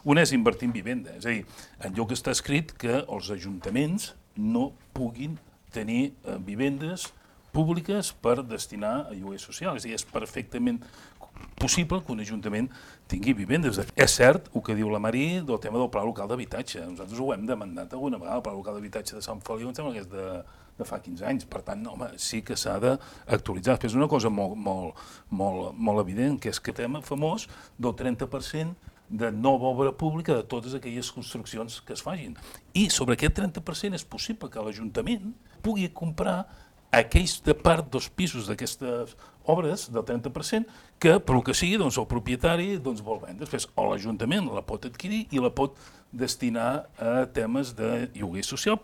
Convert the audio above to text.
Un és invertir en vivenda, és a dir, enlloc està escrit que els ajuntaments no puguin tenir vivendes públiques per destinar a lloguer social. És a dir, és perfectament possible que un ajuntament tingui vivendes. És cert el que diu la Mari del tema del Pla Local d'Habitatge. Nosaltres ho hem demandat alguna vegada, el Pla Local d'Habitatge de Sant Feliu, em sembla que és de fa 15 anys. Per tant, home, sí que s'ha d'actualitzar. Després una cosa molt evident, que és que el tema famós del 30% de nova obra pública de totes aquelles construccions que es facin. I sobre aquest 30% és possible que l'Ajuntament pugui comprar aquells de part dels pisos d'aquestes obres del 30% que, per el que sigui, el propietari vol vendre. Després, o l'Ajuntament la pot adquirir i la pot destinar a temes de lloguer social